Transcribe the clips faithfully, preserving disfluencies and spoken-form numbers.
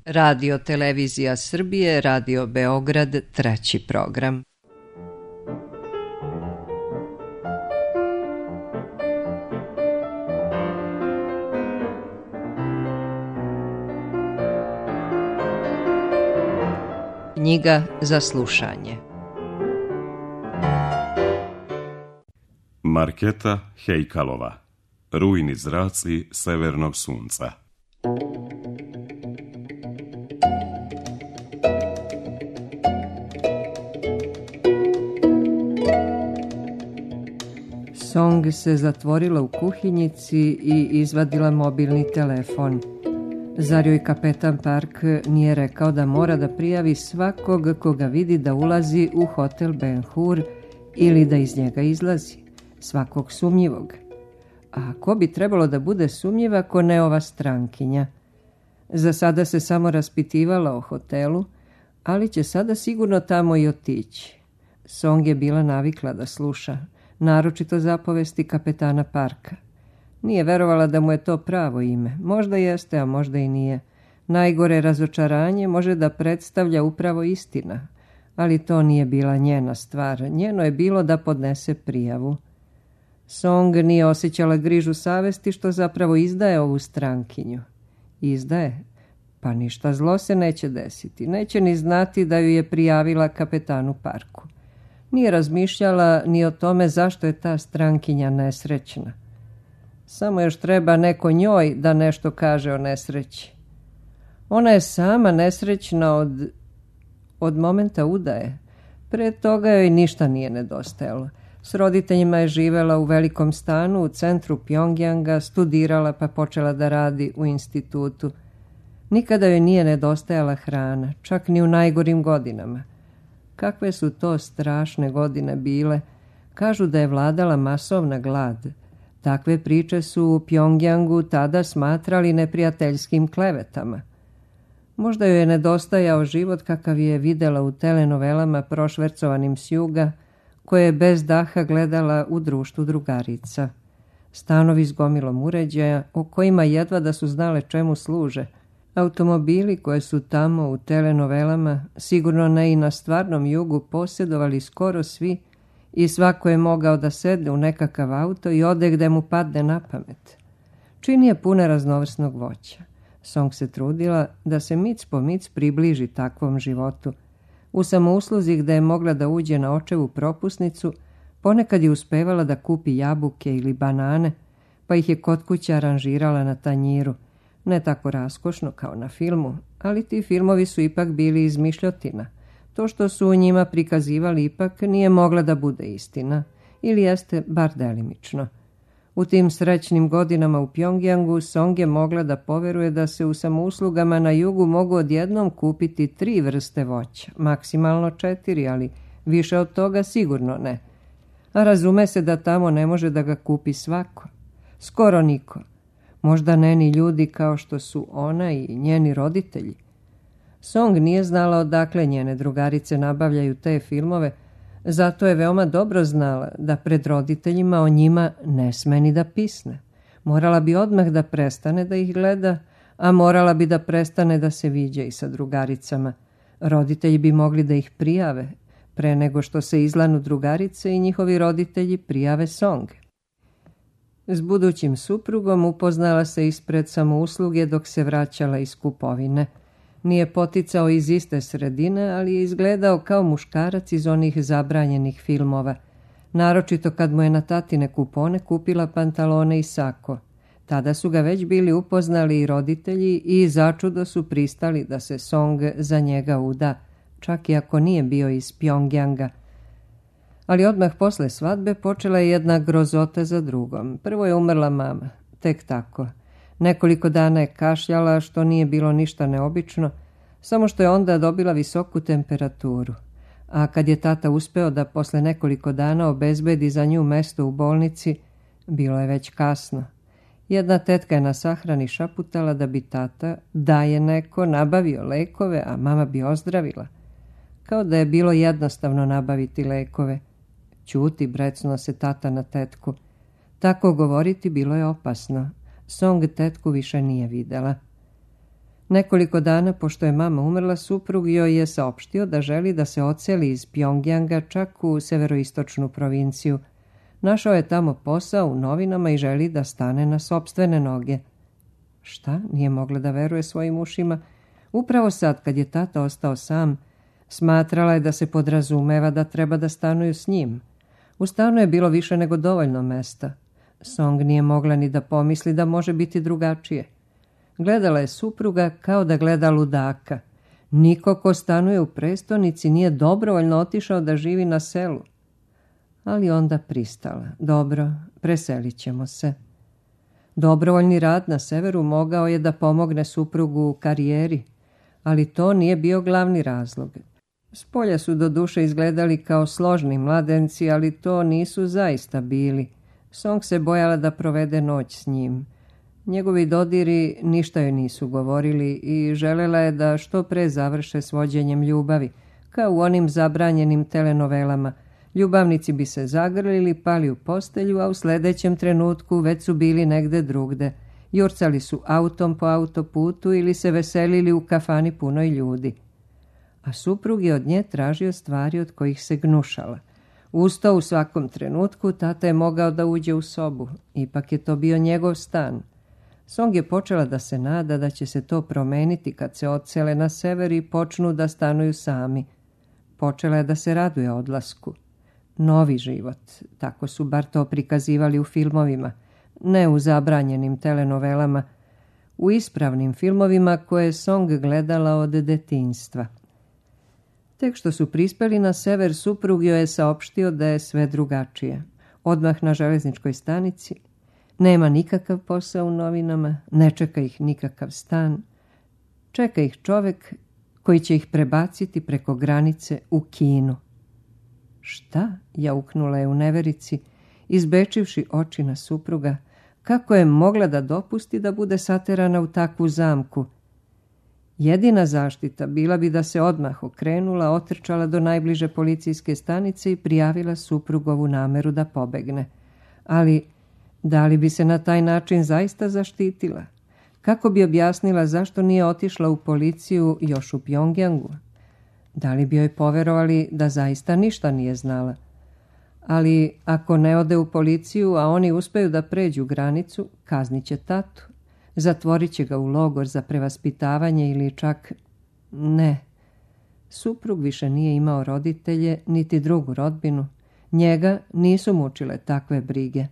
Radio Televizija Srbije, Radio Beograd, treći program. Knjiga za slušanje. Marketa Hejkalova. Rujni zraci severnog sunca. Song se zatvorila u kuhinjici i izvadila mobilni telefon. Zar joj kapetan Park nije rekao da mora da prijavi svakog koga vidi da ulazi u hotel Ben Hur ili da iz njega izlazi? Svakog sumnjivog. A ko bi trebalo da bude sumnjiv ako ne ova strankinja? Za sada se samo raspitivala o hotelu, ali će sada sigurno tamo i otići. Song je bila navikla da sluša, naročito zapovesti kapetana Parka. Nije verovala da mu je to pravo ime. Možda jeste, a možda i nije. Najgore razočaranje može da predstavlja upravo istina, ali to nije bila njena stvar. Njeno je bilo da podnese prijavu. Song nije osjećala grižu savesti što zapravo izdaje ovu strankinju. Izdaje? Pa ništa zlo se neće desiti. Neće ni znati da ju je prijavila kapetanu Parku. Nije razmišljala ni o tome zašto je ta strankinja nesrećna. Samo još treba neko njoj da nešto kaže o nesreći. Ona je sama nesrećna od, od momenta udaje. Pre toga joj ništa nije nedostajalo. S roditeljima je živela u velikom stanu u centru Pjongjanga, studirala pa počela da radi u institutu. Nikada joj nije nedostajala hrana, čak ni u najgorim godinama. Kakve su to strašne godine bile? Kažu da je vladala masovna glad. Takve priče su u Pjongjangu tada smatrali neprijateljskim klevetama. Možda joj je nedostajao život kakav je videla u telenovelama prošvercovanim s juga, koje je bez daha gledala u društvu drugarica. Stanovi s gomilom uređaja, o kojima jedva da su znale čemu služe. Automobili koje su tamo u telenovelama, sigurno ne i na stvarnom jugu, posjedovali skoro svi i svako je mogao da sedne u nekakav auto i ode gde mu padne na pamet. Čini je pune raznovrsnog voća. Song se trudila da se mic po mic približi takvom životu. U samousluzi gde je mogla da uđe na očevu propusnicu, ponekad je uspevala da kupi jabuke ili banane, pa ih je kod kuće aranžirala na tanjiru. Ne tako raskošno kao na filmu, ali ti filmovi su ipak bili izmišljotina. To što su u njima prikazivali ipak nije mogla da bude istina, ili jeste bar delimično. U tim srećnim godinama u Pjongjangu Song je mogla da poveruje da se u samouslugama na jugu mogu odjednom kupiti tri vrste voća, maksimalno četiri, ali više od toga sigurno ne. A razume se da tamo ne može da ga kupi svako. Skoro niko. Možda ne ni ljudi kao što su ona i njeni roditelji. Song nije znala odakle njene drugarice nabavljaju te filmove, zato je veoma dobro znala da pred roditeljima o njima ne sme ni da pisne. Morala bi odmah da prestane da ih gleda, a morala bi da prestane da se viđa i sa drugaricama. Roditelji bi mogli da ih prijave, pre nego što se izlanu drugarice i njihovi roditelji prijave Song. S budućim suprugom upoznala se ispred samousluge dok se vraćala iz kupovine. Nije poticao iz iste sredine, ali je izgledao kao muškarac iz onih zabranjenih filmova. Naročito kad mu je na tatine kupone kupila pantalone i sako. Tada su ga već bili upoznali i roditelji i začudo su pristali da se Song za njega uda, čak i ako nije bio iz Pjongjanga. Ali odmah posle svadbe počela je jedna grozota za drugom. Prvo je umrla mama, tek tako. Nekoliko dana je kašljala, što nije bilo ništa neobično, samo što je onda dobila visoku temperaturu. A kad je tata uspeo da posle nekoliko dana obezbedi za nju mesto u bolnici, bilo je već kasno. Jedna tetka je na sahrani šaputala da bi tata, da je neko, nabavio lekove, a mama bi ozdravila. Kao da je bilo jednostavno nabaviti lekove. Ćuti, brecnuo se tata na tetku. Tako govoriti bilo je opasno. Song tetku više nije videla. Nekoliko dana pošto je mama umrla, suprug joj je saopštio da želi da se odseli iz Pjongjanga čak u severoistočnu provinciju. Našao je tamo posao u novinama i želi da stane na sopstvene noge. Šta? Nije mogla da veruje svojim ušima. Upravo sad, kad je tata ostao sam, smatrala je da se podrazumeva da treba da stanuju s njim. U stanu je bilo više nego dovoljno mesta. Song nije mogla ni da pomisli da može biti drugačije. Gledala je supruga kao da gleda ludaka. Niko ko stanuje u prestonici nije dobrovoljno otišao da živi na selu. Ali onda pristala. Dobro, preselit ćemo se. Dobrovoljni rad na severu mogao je da pomogne suprugu u karijeri, ali to nije bio glavni razlog. Spolja su do duše izgledali kao složni mladenci, ali to nisu zaista bili. Song se bojala da provede noć s njim. Njegovi dodiri ništa joj nisu govorili i želela je da što pre završe s vođenjem ljubavi, kao u onim zabranjenim telenovelama. Ljubavnici bi se zagrlili, pali u postelju, a u sljedećem trenutku već su bili negde drugde. Jurcali su autom po autoputu ili se veselili u kafani punoj ljudi. A suprug je od nje tražio stvari od kojih se gnušala. Usto u svakom trenutku tata je mogao da uđe u sobu. Ipak je to bio njegov stan. Song je počela da se nada da će se to promeniti kad se odsele na sever i počnu da stanuju sami. Počela je da se raduje odlasku. Novi život, tako su bar to prikazivali u filmovima, ne u zabranjenim telenovelama, u ispravnim filmovima koje je Song gledala od detinjstva. Tek što su prispeli na sever, suprug joj je saopštio da je sve drugačije. Odmah na železničkoj stanici nema nikakav posao u novinama, ne čeka ih nikakav stan, čeka ih čovek koji će ih prebaciti preko granice u Kinu. Šta? Jauknula je u neverici, izbečivši oči na supruga. Kako je mogla da dopusti da bude saterana u takvu zamku? Jedina zaštita bila bi da se odmah okrenula, otrčala do najbliže policijske stanice i prijavila suprugovu nameru da pobegne. Ali da li bi se na taj način zaista zaštitila? Kako bi objasnila zašto nije otišla u policiju još u Pjongjangu? Da li bi joj poverovali da zaista ništa nije znala? Ali ako ne ode u policiju, a oni uspeju da pređu granicu, kaznit će tatu. Zatvorit će ga u logor za prevaspitavanje ili čak... Ne. Suprug više nije imao roditelje, niti drugu rodbinu. Njega nisu mučile takve brige.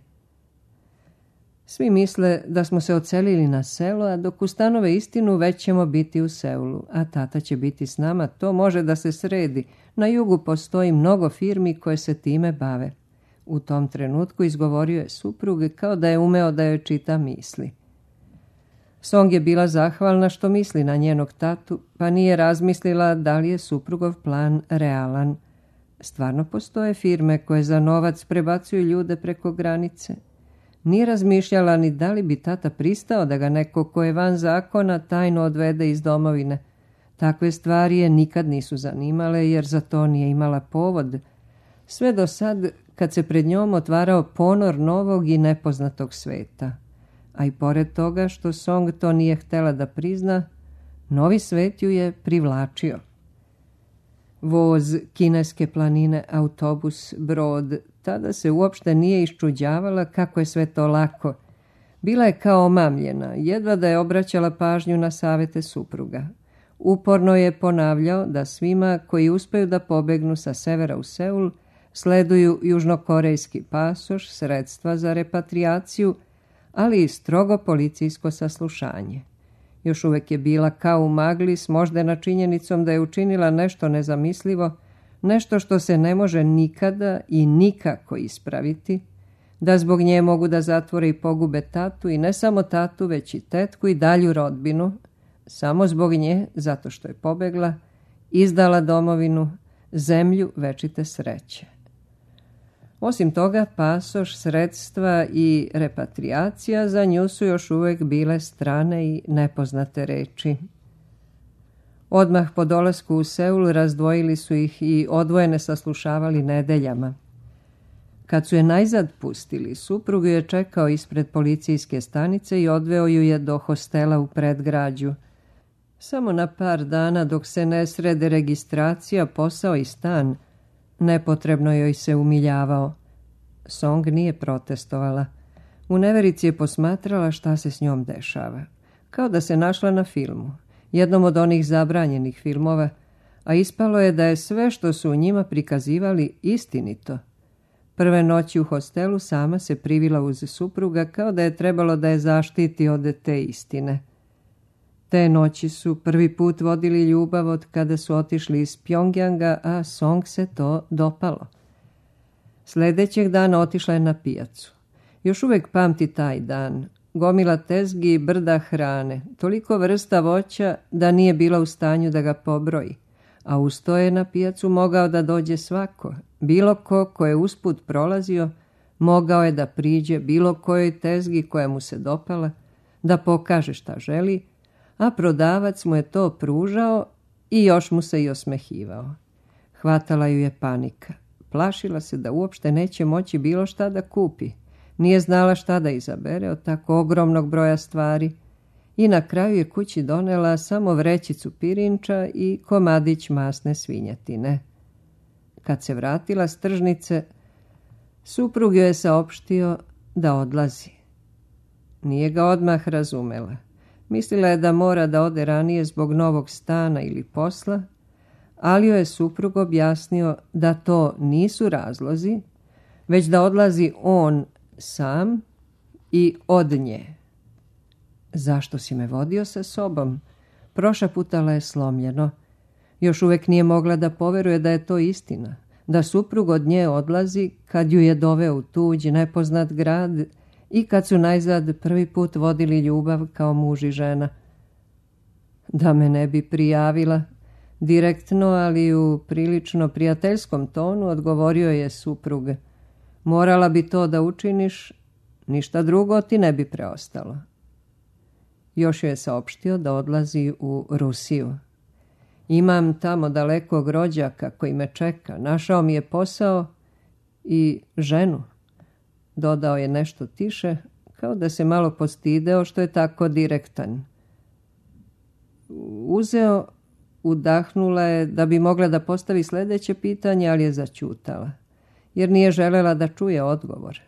Svi misle da smo se odselili na selo, a dok ustanove istinu već ćemo biti u Seulu, a tata će biti s nama. To može da se sredi. Na jugu postoji mnogo firmi koje se time bave. U tom trenutku izgovorio je suprug kao da je umeo da joj čita misli. Song je bila zahvalna što misli na njenog tatu, pa nije razmislila da li je suprugov plan realan. Stvarno postoje firme koje za novac prebacuju ljude preko granice. Nije razmišljala ni da li bi tata pristao da ga neko ko je van zakona tajno odvede iz domovine. Takve stvari je nikad nisu zanimale jer za to nije imala povod. Sve do sad kad se pred njom otvarao ponor novog i nepoznatog sveta. A i pored toga što Song to nije htela da prizna, novi svet ju je privlačio. Voz, kineske planine, autobus, brod, tada se uopšte nije iščuđavala kako je sve to lako. Bila je kao omamljena, jedva da je obraćala pažnju na savete supruga. Uporno je ponavljao da svima koji uspeju da pobegnu sa severa u Seul sleduju južnokorejski pasoš, sredstva za repatriaciju, ali i strogo policijsko saslušanje. Još uvek je bila kao u magli s moždana činjenicom da je učinila nešto nezamislivo, nešto što se ne može nikada i nikako ispraviti, da zbog nje mogu da zatvore i pogube tatu i ne samo tatu, već i tetku i dalju rodbinu, samo zbog nje, zato što je pobegla, izdala domovinu, zemlju večite sreće. Osim toga, pasoš, sredstva i repatriacija za nju su još uvijek bile strane i nepoznate reči. Odmah po dolasku u Seul razdvojili su ih i odvojene saslušavali nedeljama. Kad su je najzad pustili, suprug ju je čekao ispred policijske stanice i odveo ju je do hostela u predgrađu. Samo na par dana dok se ne srede registracija, posao i stan, nepotrebno joj se umiljavao. Song nije protestovala. U neverici je posmatrala šta se s njom dešava. Kao da se našla na filmu, jednom od onih zabranjenih filmova, a ispalo je da je sve što su u njima prikazivali istinito. Prve noći u hostelu sama se privila uz supruga kao da je trebalo da je zaštiti od te istine. Te noći su prvi put vodili ljubav od kada su otišli iz Pjongjanga, a Song se to dopalo. Sljedećeg dana otišla je na pijacu. Još uvijek pamti taj dan. Gomila tezgi i brda hrane, toliko vrsta voća da nije bila u stanju da ga pobroji, a uz to je na pijacu mogao da dođe svako. Bilo ko ko je usput prolazio, mogao je da priđe bilo kojoj tezgi koja mu se dopala, da pokaže šta želi, a prodavac mu je to pružao i još mu se i osmehivao. Hvatala ju je panika. Plašila se da uopšte neće moći bilo šta da kupi. Nije znala šta da izabere od tako ogromnog broja stvari i na kraju je kući donela samo vrećicu pirinča i komadić masne svinjetine. Kad se vratila s tržnice, suprug joj je saopštio da odlazi. Nije ga odmah razumela. Mislila je da mora da ode ranije zbog novog stana ili posla, ali joj je suprug objasnio da to nisu razlozi, već da odlazi on sam i od nje. Zašto si me vodio sa sobom? Prošaputala je slomljeno. Još uvijek nije mogla da poveruje da je to istina, da suprug od nje odlazi kad ju je doveo u tuđi, nepoznat grad i kad su najzad prvi put vodili ljubav kao muž i žena. Da me ne bi prijavila, direktno, ali u prilično prijateljskom tonu odgovorio je suprug. Morala bi to da učiniš, ništa drugo ti ne bi preostalo. Još je saopštio da odlazi u Rusiju. Imam tamo dalekog rođaka koji me čeka, našao mi je posao i ženu. Dodao je nešto tiše, kao da se malo postideo što je tako direktan. Uzeo, udahnula je da bi mogla da postavi sljedeće pitanje, ali je zaćutala, jer nije želela da čuje odgovor.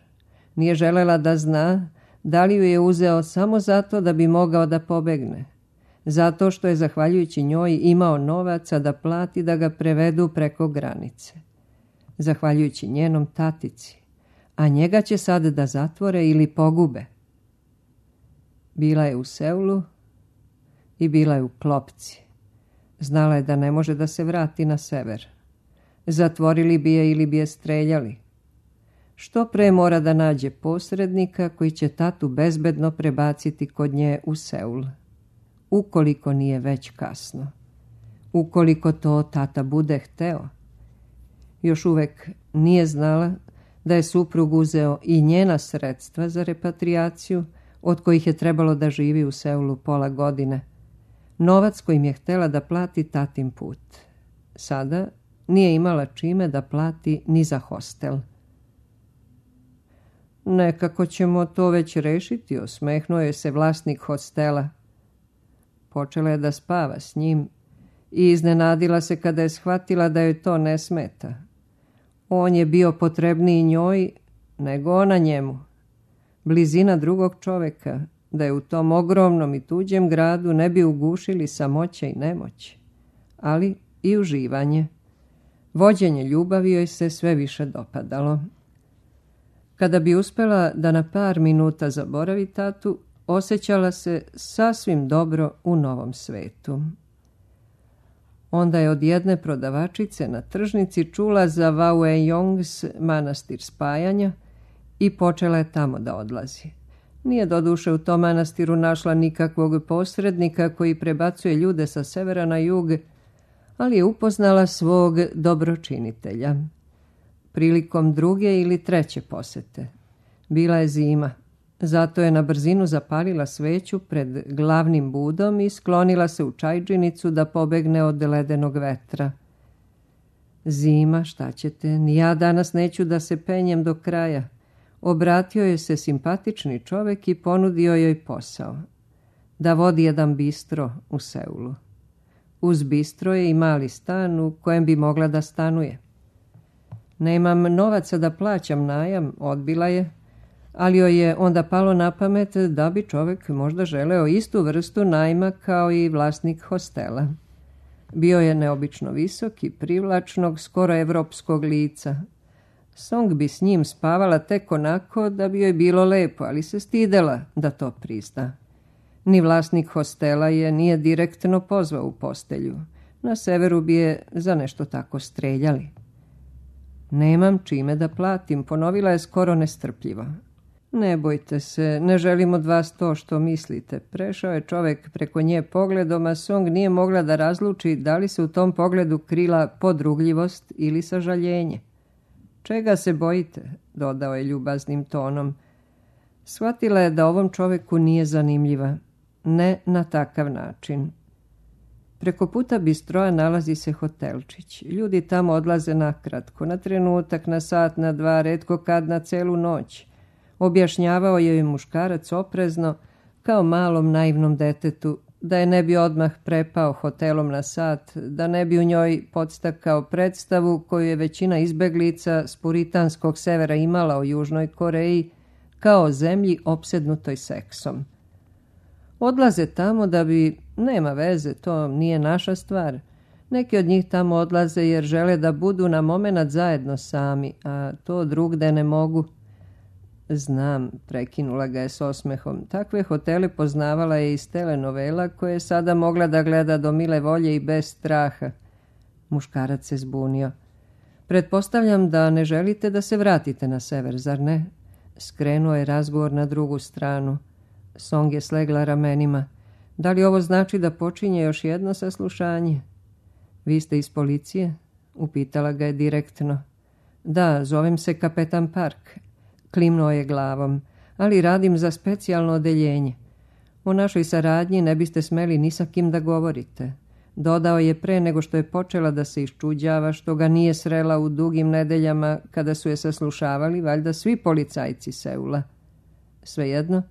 Nije želela da zna da li ju je uzeo samo zato da bi mogao da pobegne, zato što je zahvaljujući njoj imao novaca da plati da ga prevedu preko granice, zahvaljujući njenom tatici, a njega će sad da zatvore ili pogube. Bila je u Seulu i bila je u klopci. Znala je da ne može da se vrati na sever. Zatvorili bi je ili bi je streljali. Što pre mora da nađe posrednika koji će tatu bezbedno prebaciti kod nje u Seul. Ukoliko nije već kasno. Ukoliko to tata bude hteo. Još uvek nije znala da je suprug uzeo i njena sredstva za repatriaciju, od kojih je trebalo da živi u Seulu pola godine. Novac kojim je htela da plati tatin put. Sada nije imala čime da plati ni za hostel. Nekako ćemo to već rešiti, osmehnuo je se vlasnik hostela. Počela je da spava s njim i iznenadila se kada je shvatila da joj to ne smeta. On je bio potrebniji njoj nego ona njemu. Blizina drugog čoveka, da je u tom ogromnom i tuđem gradu ne bi ugušili samoća i nemoć, ali i uživanje. Vođenje ljubavi joj se sve više dopadalo. Kada bi uspela da na par minuta zaboravi tatu, osjećala se sasvim dobro u novom svetu. Onda je od jedne prodavačice na tržnici čula za Vauejong's manastir spajanja i počela je tamo da odlazi. Nije doduše u tom manastiru našla nikakvog posrednika koji prebacuje ljude sa severa na jug, ali je upoznala svog dobročinitelja. Prilikom druge ili treće posete. Bila je zima, zato je na brzinu zapalila sveću pred glavnim budom i sklonila se u čajdžinicu da pobegne od ledenog vetra. Zima, šta ćete, ni ja danas neću da se penjem do kraja. Obratio joj se simpatični čovek i ponudio joj posao. da vodi jedan bistro u Seulu. Uz bistro je i mali stan u kojem bi mogla da stanuje. Nemam novaca da plaćam najam, odbila je, ali joj je onda palo na pamet da bi čovjek možda želeo istu vrstu najma kao i vlasnik hostela. Bio je neobično visok i privlačnog, skoro evropskog lica. Song bi s njim spavala tek onako da bi joj bilo lepo, ali se stidela da to prizna. Ni vlasnik hostela je nije direktno pozvao u postelju. Na severu bi je za nešto tako streljali. Nemam čime da platim, ponovila je skoro nestrpljivo. Ne bojte se, ne želim od vas to što mislite. Prešao je čovjek preko nje pogledom, a Song nije mogla da razluči da li se u tom pogledu krila podrugljivost ili sažaljenje. Čega se bojite, dodao je ljubaznim tonom. Shvatila je da ovom čovjeku nije zanimljiva. Ne na takav način. Preko puta bistroa nalazi se hotelčić. Ljudi tamo odlaze nakratko, na trenutak, na sat, na dva, retko kad na celu noć. Objašnjavao je joj muškarac oprezno, kao malom naivnom detetu, da je ne bi odmah prepao hotelom na sat, da ne bi u njoj podstakao predstavu koju je većina izbeglica s puritanskog severa imala o Južnoj Koreji, kao zemlji opsednutoj seksom. Odlaze tamo da bi, nema veze, to nije naša stvar. Neki od njih tamo odlaze jer žele da budu na momenat zajedno sami, a to drugde ne mogu. Znam, prekinula ga je s osmehom. Takve hotele poznavala je iz telenovela koje je sada mogla da gleda do mile volje i bez straha. Muškarac se zbunio. Pretpostavljam da ne želite da se vratite na sever, zar ne? Skrenuo je razgovor na drugu stranu. Song je slegla ramenima. Da li ovo znači da počinje još jedno saslušanje? Vi ste iz policije? Upitala ga je direktno. Da, zovem se kapetan Park. Klimnuo je glavom, ali radim za specijalno odeljenje. O našoj saradnji ne biste smeli ni sa kim da govorite. Dodao je pre nego što je počela da se iščuđava što ga nije srela u dugim nedeljama kada su je saslušavali valjda svi policajci Seula. Svejedno,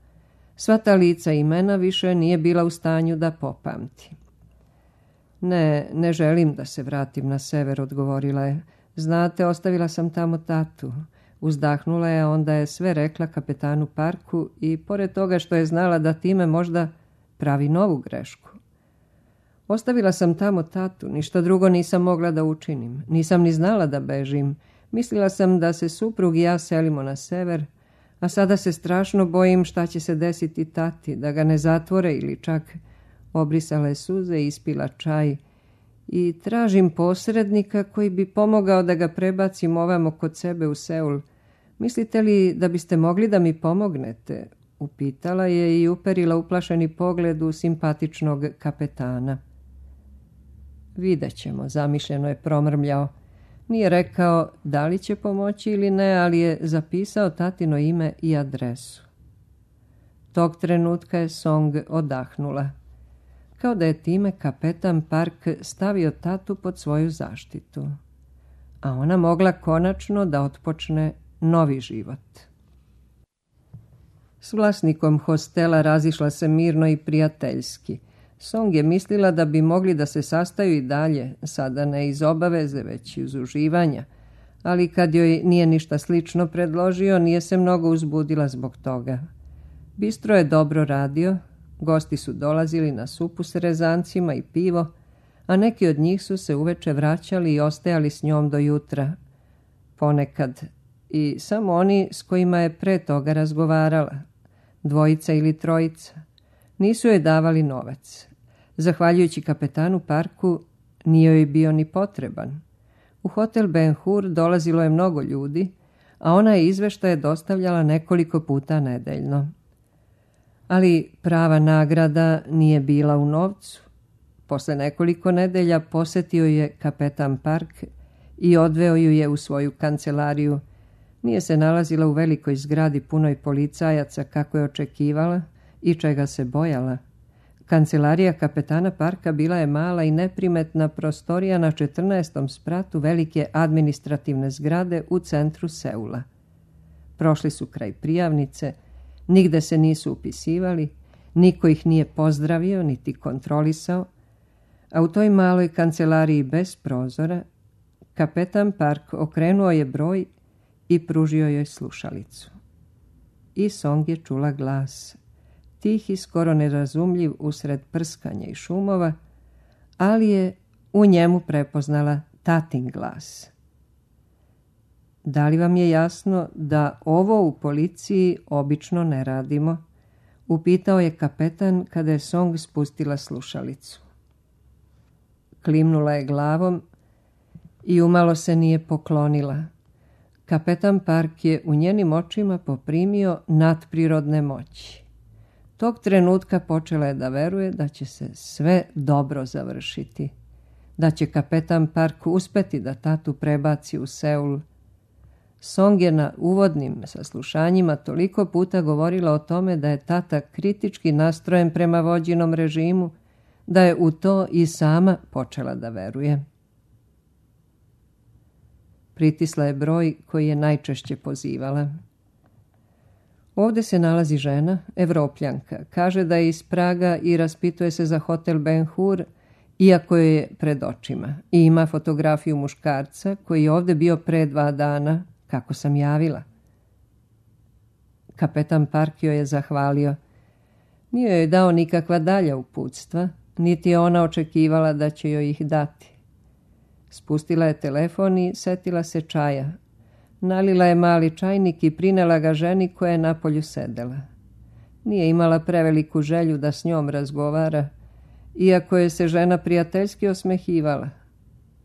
sva ta lica i imena više nije bila u stanju da popamti. Ne, ne želim da se vratim na sever, odgovorila je. Znate, ostavila sam tamo tatu. Uzdahnula je, onda je sve rekla kapetanu Parku i pored toga što je znala da time možda pravi novu grešku. Ostavila sam tamo tatu, ništa drugo nisam mogla da učinim. Nisam ni znala da bežim. Mislila sam da se suprug i ja selimo na sever, a sada se strašno bojim šta će se desiti tati, da ga ne zatvore ili čak. Obrisala je suze i ispila čaj. I tražim posrednika koji bi pomogao da ga prebacim ovamo kod sebe u Seul. Mislite li da biste mogli da mi pomognete? Upitala je i uperila uplašeni pogled u simpatičnog kapetana. Vidjet ćemo, zamišljeno je promrmljao. Nije rekao da li će pomoći ili ne, ali je zapisao tatino ime i adresu. Tog trenutka je Song odahnula. Kao da je time kapetan Park stavio tatu pod svoju zaštitu. A ona mogla konačno da otpočne novi život. S vlasnikom hostela razišla se mirno i prijateljski. Song je mislila da bi mogli da se sastaju i dalje, sada ne iz obaveze, već iz uživanja, ali kad joj nije ništa slično predložio, nije se mnogo uzbudila zbog toga. Bistro je dobro radio, gosti su dolazili na supu s rezancima i pivo, a neki od njih su se uveče vraćali i ostajali s njom do jutra. Ponekad i samo oni s kojima je pre toga razgovarala, dvojica ili trojica. Nisu joj davali novac. Zahvaljujući kapetanu Parku, nije joj bio ni potreban. U hotel Ben Hur dolazilo je mnogo ljudi, a ona je izveštaje dostavljala nekoliko puta nedeljno. Ali prava nagrada nije bila u novcu. Posle nekoliko nedelja posetio je kapetan Park i odveo ju je u svoju kancelariju. Nije se nalazila u velikoj zgradi punoj policajaca kako je očekivala i čega se bojala. Kancelarija kapetana Parka bila je mala i neprimetna prostorija na četrnaestom spratu velike administrativne zgrade u centru Seula. Prošli su kraj prijavnice, nigde se nisu upisivali, Niko ih nije pozdravio niti kontrolisao, a u toj maloj kancelariji bez prozora kapetan Park okrenuo je broj i pružio joj slušalicu. I Song je čula glas, tih i skoro nerazumljiv usred prskanja i šumova, ali je u njemu prepoznala tatin glas. Da li vam je jasno da ovo u policiji obično ne radimo? Upitao je kapetan kada je Song spustila slušalicu. Klimnula je glavom i umalo se nije poklonila. Kapetan Park je u njenim očima poprimio nadprirodne moći. Tog trenutka počela je da veruje da će se sve dobro završiti, da će kapetan Park uspeti da tatu prebaci u Seul. Song je na uvodnim saslušanjima toliko puta govorila o tome da je tata kritički nastrojen prema vođinom režimu, da je u to i sama počela da veruje. Pritisla je broj koji je najčešće pozivala. Ovdje se nalazi žena, Evropljanka. Kaže da je iz Praga i raspituje se za hotel Ben Hur, iako je pred očima. I ima fotografiju muškarca koji je ovdje bio pre dva dana, kako sam javila. Kapetan Park joj je zahvalio. Nije joj dao nikakva dalja uputstva, niti je ona očekivala da će joj ih dati. Spustila je telefon i setila se čaja. Nalila je mali čajnik i prinela ga ženi koja je napolju sedela. Nije imala preveliku želju da s njom razgovara, iako je se žena prijateljski osmehivala.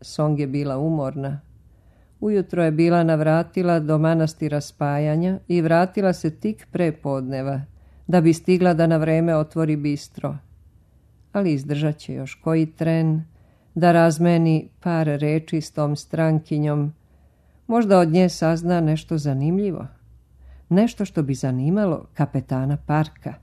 Song je bila umorna. Ujutro je bila navratila do manastira Spajanja i vratila se tik pre podneva, da bi stigla da na vreme otvori bistro. Ali izdržat će još koji tren, da razmeni par reči s tom strankinjom. Možda od nje sazna nešto zanimljivo. Nešto što bi zanimalo kapetana Parka.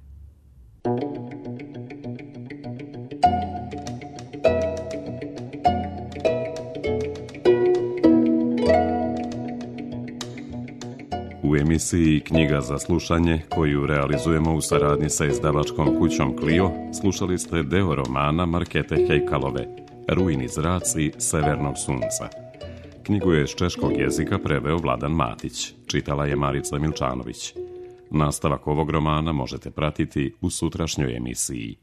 U emisiji Knjiga za slušanje, koju realizujemo u saradnji sa izdavačkom kućom Clio, slušali ste deo romana Markete Hejkalove, Rujni zraci severnog sunca. Knjigu je iz češkog jezika preveo Vladan Matić, čitala je Marica Milčanović. Nastavak ovog romana možete pratiti u sutrašnjoj emisiji.